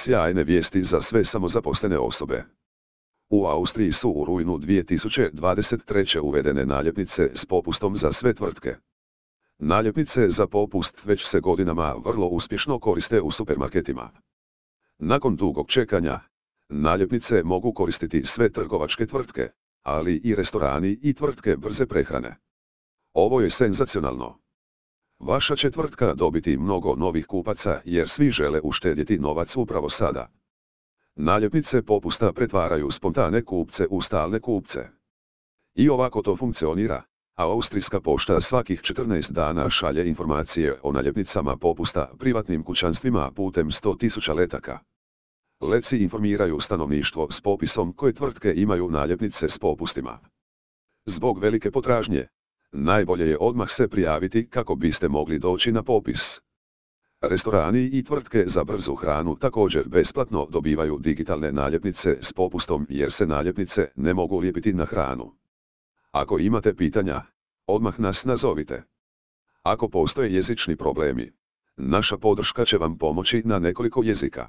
Sjajne vijesti za sve samozaposlene osobe. U Austriji su u rujnu 2023. uvedene naljepnice s popustom za sve tvrtke. Naljepnice za popust već se godinama vrlo uspješno koriste u supermarketima. Nakon dugog čekanja, naljepnice mogu koristiti sve trgovačke tvrtke, ali i restorani i tvrtke brze prehrane. Ovo je senzacionalno. Vaša će tvrtka dobiti mnogo novih kupaca jer svi žele uštedjeti novac upravo sada. Naljepnice popusta pretvaraju spontane kupce u stalne kupce. I ovako to funkcionira, a Austrijska pošta svakih 14 dana šalje informacije o naljepnicama popusta privatnim kućanstvima putem 100.000 letaka. Letci informiraju stanovništvo s popisom koje tvrtke imaju naljepnice s popustima. Zbog velike potražnje, najbolje je odmah se prijaviti kako biste mogli doći na popis. Restorani i tvrtke za brzu hranu također besplatno dobivaju digitalne naljepnice s popustom jer se naljepnice ne mogu lijepiti na hranu. Ako imate pitanja, odmah nas nazovite. Ako postoje jezični problemi, naša podrška će vam pomoći na nekoliko jezika.